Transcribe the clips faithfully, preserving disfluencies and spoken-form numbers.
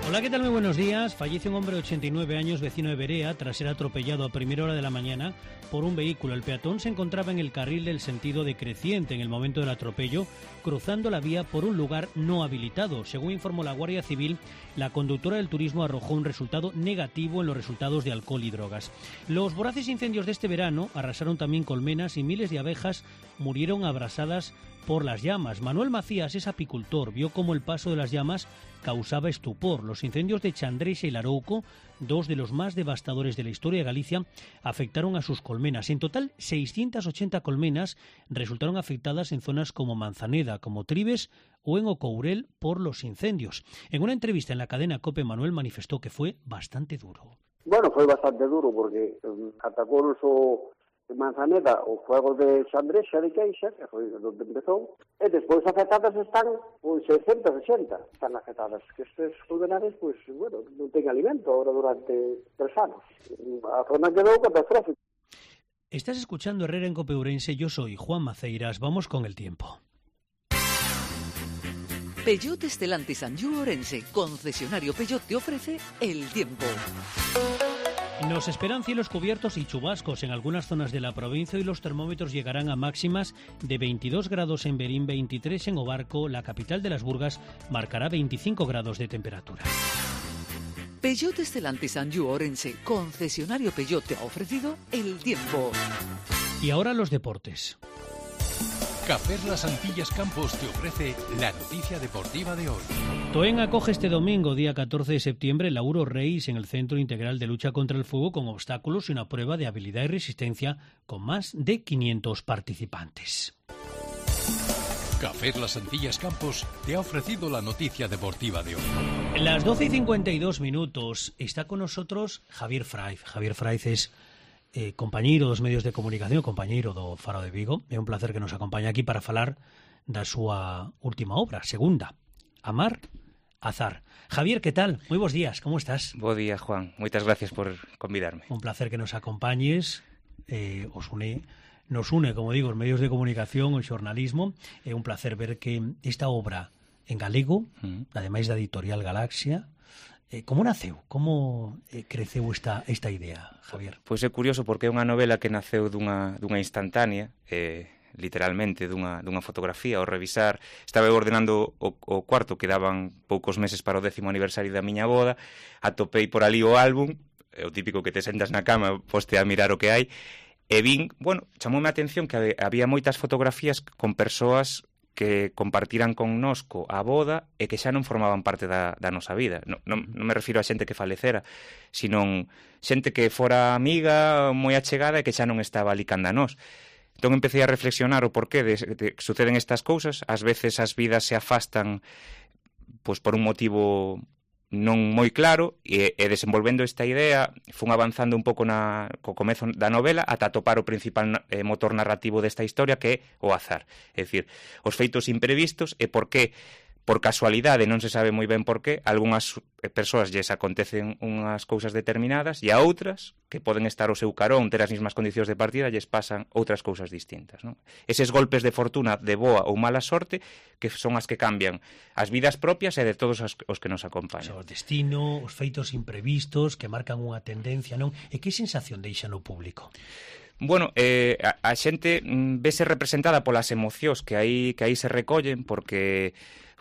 Hola, ¿qué tal? Muy buenos días. Fallece un hombre de ochenta y nueve años, vecino de Berea, tras ser atropellado a primera hora de la mañana por un vehículo. El peatón se encontraba en el carril del sentido decreciente en el momento del atropello, cruzando la vía por un lugar no habilitado. Según informó la Guardia Civil, la conductora del turismo arrojó un resultado negativo en los resultados de alcohol y drogas. Los voraces incendios de este verano arrasaron también colmenas y miles de abejas murieron abrasadas por las llamas. Manuel Macías es apicultor, vio cómo el paso de las llamas causaba estupor. Los incendios de Chandrexa y Larouco, dos de los más devastadores de la historia de Galicia, afectaron a sus colmenas. En total, seiscientas ochenta colmenas resultaron afectadas en zonas como Manzaneda, como Tribes o en Ocourel por los incendios. En una entrevista en la cadena COPE, Manuel manifestó que fue bastante duro. Bueno, foi bastante duro porque um, atacounos o Manzaneda o fuego de Chandrexa de Queixa, que foi onde empezou, e despois afectadas están pois seiscientas ochenta están afectadas, que estes colmenares pois, bueno, non ten alimento ahora durante tres anos. A zona quedou catastrófica. Estás escuchando Herrera en Cope Ourense, yo soy Juan Maceiras, vamos con el tiempo. Peugeot Stellantis Anjou Ourense, concesionario Peugeot, te ofrece el tiempo. Nos esperan cielos cubiertos y chubascos en algunas zonas de la provincia y los termómetros llegarán a máximas de veintidós grados en Berín, veintitrés en Obarco, la capital de las Burgas marcará veinticinco grados de temperatura. Peugeot Stellantis Anjou Ourense, concesionario Peugeot, te ha ofrecido el tiempo. Y ahora los deportes. Cafés Las Antillas Campos te ofrece la noticia deportiva de hoy. Toen acoge este domingo, día catorce de septiembre, el Auro Reis en el Centro Integral de Lucha contra el Fuego con obstáculos y una prueba de habilidad y resistencia con más de quinientos participantes. Cafés Las Antillas Campos te ha ofrecido la noticia deportiva de hoy. Las doce y cincuenta y dos minutos está con nosotros Javier Fraiz. Javier Fraiz es eh, compañeiro dos medios de comunicación, compañeiro do Faro de Vigo. É un placer que nos acompañe aquí para falar da súa última obra, segunda, Amar, Azar. Javier, ¿qué tal? Muy buenos días, ¿cómo estás? Bo día, Juan. Moitas gracias por convidarme. Un placer que nos acompañes. Eh, os une, nos une, como digo, os medios de comunicación, o xornalismo. É un placer ver que esta obra en galego, uh-huh. ademais da editorial Galaxia, Eh, como naceu? Como eh, creceu esta, esta idea, Javier? Pois é curioso porque é unha novela que naceu dunha, dunha instantánea, eh, literalmente dunha, dunha fotografía. Ao revisar, estaba ordenando o, o cuarto, que daban poucos meses para o décimo aniversario da miña boda, atopei por ali o álbum, é o típico que te sentas na cama, poste a mirar o que hai, e vin, bueno, chamoume a atención que había moitas fotografías con persoas que compartiran connosco a boda e que xa non formaban parte da, da nosa vida. Non, non, non me refiro a xente que falecera, sino xente que fora amiga, moi achegada e que xa non estaba ali canda nós. Entón empecé a reflexionar o porqué de, de que suceden estas cousas. Ás veces as vidas se afastan pois por un motivo non moi claro, e, e desenvolvendo esta idea fun avanzando un pouco na, co comezo da novela ata atopar o principal eh, motor narrativo desta historia, que é o azar, é dicir, os feitos imprevistos e por que, por casualidade, non se sabe moi ben por qué, algunhas persoas lles acontecen unhas cousas determinadas e a outras, que poden estar ao seu carón, ter as mesmas condicións de partida, lles pasan outras cousas distintas, non? Eses golpes de fortuna, de boa ou mala sorte, que son as que cambian as vidas propias e de todos os, os que nos acompañan. O destino, os feitos imprevistos que marcan unha tendencia, non? E que sensación deixa no público? Bueno, eh, a, a xente mm, vese representada polas emocións que aí, que aí se recollen, porque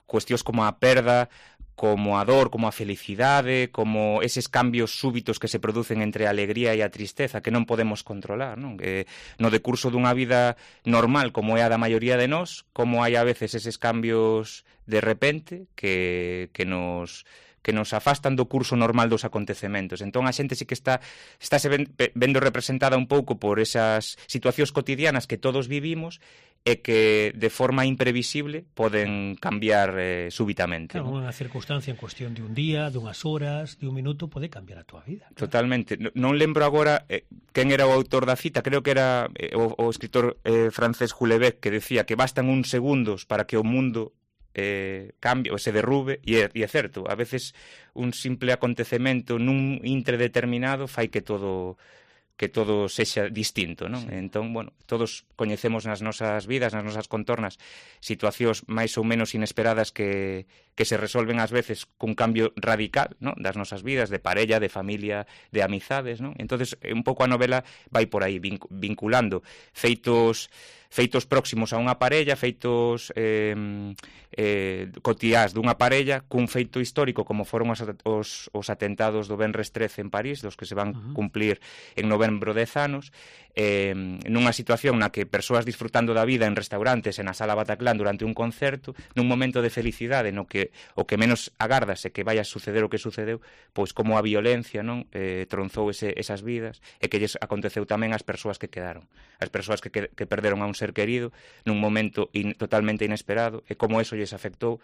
cuestións como a perda, como a dor, como a felicidade, como eses cambios súbitos que se producen entre a alegría e a tristeza que non podemos controlar, non? Que no decurso dunha vida normal como é a da maioría de nós, como hai a veces eses cambios de repente que, que nos que nos afastan do curso normal dos acontecementos. Entón a xente sí que está estáse vendo representada un pouco por esas situacións cotidianas que todos vivimos e que de forma imprevisible poden cambiar eh, súbitamente. Claro, unha circunstancia en cuestión de un día, de unhas horas, de un minuto, pode cambiar a túa vida. Claro. Totalmente. Non lembro agora eh, quen era o autor da cita, creo que era eh, o, o escritor eh, francés Houellebecq, que decía que bastan uns segundos para que o mundo eh, cambie ou se derrube, e é, e é certo, a veces un simple acontecemento nun intre determinado fai que todo que todo sexa distinto, non? Sí. Entón, bueno, todos coñecemos nas nosas vidas, nas nosas contornas, situacións máis ou menos inesperadas que, que se resolven ás veces cun cambio radical, non? Das nosas vidas, de parella, de familia, de amizades, non? Entonces, un pouco a novela vai por aí, vinculando feitos feitos próximos a unha parella, feitos eh, eh, cotiás dunha parella, cun feito histórico como foron os, os, os atentados do Venres trece en París, dos que se van uh-huh. cumplir en novembro dez anos, eh, nunha situación na que persoas disfrutando da vida en restaurantes e na sala Bataclan durante un concerto, nun momento de felicidade no que o que menos agárdase que vaya a suceder o que sucedeu, pois como a violencia, non, eh, tronzou ese, esas vidas e que lles aconteceu tamén ás persoas que quedaron, as persoas que, que, que perderon a un ser querido nun momento in, totalmente inesperado e como eso lles afectou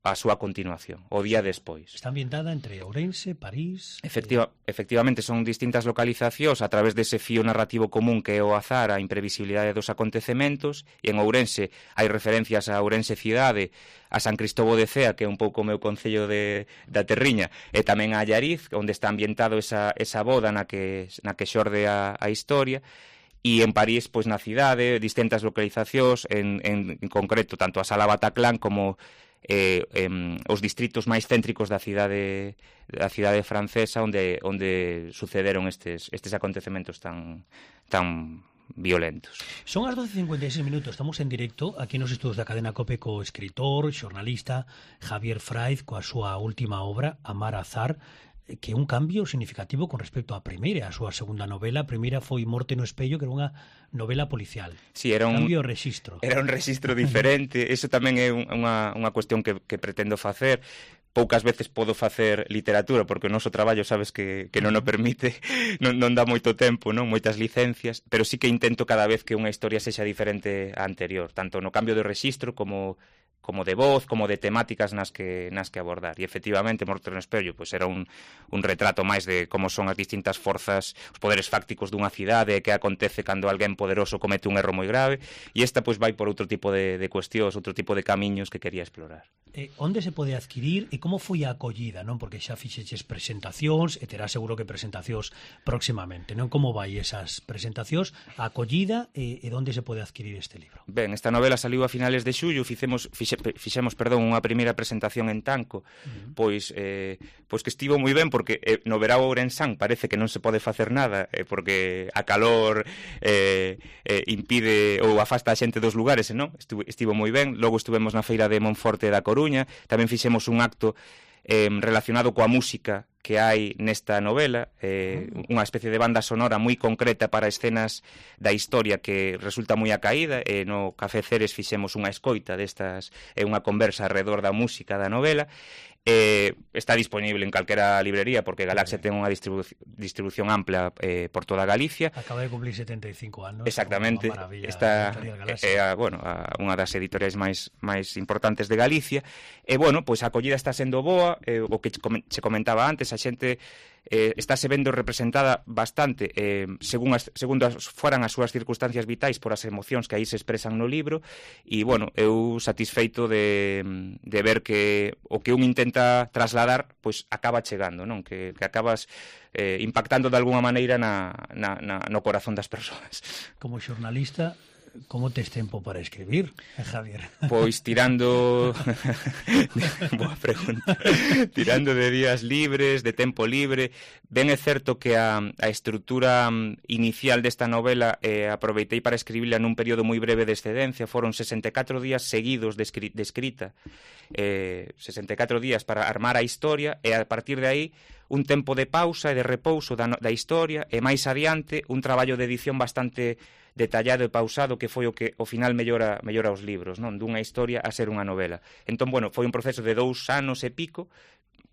a súa continuación, o día despois. Está ambientada entre Ourense, París... Efectiva, eh... Efectivamente, son distintas localizacións a través dese fío narrativo común que é o azar, a imprevisibilidade dos acontecementos, e en Ourense hai referencias a Ourense cidade, a San Cristóbal de Cea, que é un pouco o meu concello de, da Terriña, e tamén a Allariz, onde está ambientado esa, esa boda na que, na que xorde a, a historia, e en París, pois na cidade, distintas localizacións, en, en, en concreto, tanto a Sala Bataclan como eh, em, os distritos máis céntricos da cidade da cidade francesa onde onde sucederon estes estes acontecementos tan tan violentos. Son as doce e cincuenta e seis minutos, estamos en directo aquí nos estudos da cadena COPE co escritor, xornalista Javier Fraiz coa súa última obra, Amar Azar, que é un cambio significativo con respecto á primeira, a súa segunda novela. A primeira foi Morte no espello, que era unha novela policial. Sí, era un cambio de rexistro. Era un rexistro diferente. Eso tamén é unha, unha cuestión que, que pretendo facer. Poucas veces podo facer literatura porque o noso traballo sabes que, que non o permite, non, non dá moito tempo, non, moitas licencias, pero sí que intento cada vez que unha historia sexa diferente á anterior, tanto no cambio de rexistro como como de voz, como de temáticas nas que nas que abordar. E efectivamente, Morte no espello, pois era un, un retrato máis de como son as distintas forzas, os poderes fácticos dunha cidade, e que acontece cando alguén poderoso comete un erro moi grave, e esta pois vai por outro tipo de, de cuestións, outro tipo de camiños que quería explorar. Eh, onde se pode adquirir e como foi a acollida, non? Porque xa fixeches presentacións e terá seguro que presentacións próximamente, non? Como vai esas presentacións, a acollida e, e onde se pode adquirir este libro? Ben, esta novela saliu a finales de xullo, fixemos fixe, fixemos, perdón, unha primeira presentación en Tanco, uh-huh. pois eh, pois que estivo moi ben porque eh, no verao ourensán parece que non se pode facer nada, eh, porque a calor eh, eh, impide ou afasta a xente dos lugares, non? Estivo, estivo moi ben. Logo estuvemos na feira de Monforte da Coruña, tamén fixemos un acto eh, relacionado coa música que hai nesta novela, eh, unha especie de banda sonora moi concreta para escenas da historia que resulta moi acaída, e no Café Ceres fixemos unha escoita destas, e unha conversa alrededor da música da novela. Eh, está disponible en calquera librería porque Galaxia ten unha distribu distribución ampla eh, por toda Galicia. Acaba de cumplir setenta e cinco anos. Exactamente. Está é a, bueno, a, unha das editoriais máis máis importantes de Galicia. E bueno, pois a acollida está sendo boa, eh, o que se comentaba antes, a xente eh, estáse vendo representada bastante eh, según as, segundo as, foran as súas circunstancias vitais por as emocións que aí se expresan no libro, e bueno, eu satisfeito de, de ver que o que un intenta trasladar pois acaba chegando, non? Que, que acabas eh, impactando de alguna maneira na, na, na, no corazón das persoas. Como xornalista, como tes tempo para escribir, Javier? Pois tirando... Boa pregunta. Tirando de días libres, de tempo libre. Ben é certo que a, a estrutura inicial desta novela eh, aproveitei para escribirla nun período moi breve de excedencia. Foron sesenta e catro días seguidos de, escri de escrita. Eh, sesenta e catro días para armar a historia, e a partir de aí un tempo de pausa e de repouso da, da historia, e máis adiante un traballo de edición bastante detallado e pausado, que foi o que ao final mellora, mellora os libros, non? Dunha historia a ser unha novela. Entón, bueno, foi un proceso de dous anos e pico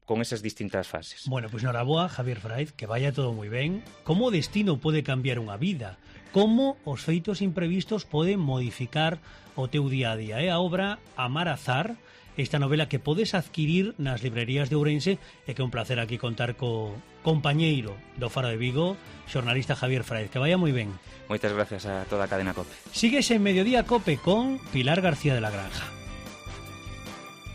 con esas distintas fases. Bueno, pois pues, noraboa, Javier Fraiz, que vaya todo moi ben. Como o destino pode cambiar unha vida? Como os feitos imprevistos poden modificar o teu día a día? É a obra Amar Azar, esta novela que podes adquirir nas librerías de Ourense, e que é un placer aquí contar co compañeiro do Faro de Vigo, xornalista Javier Fraiz. Que vaya moi ben. Moitas gracias a toda a cadena COPE. Sigues en Mediodía COPE con Pilar García de la Granja.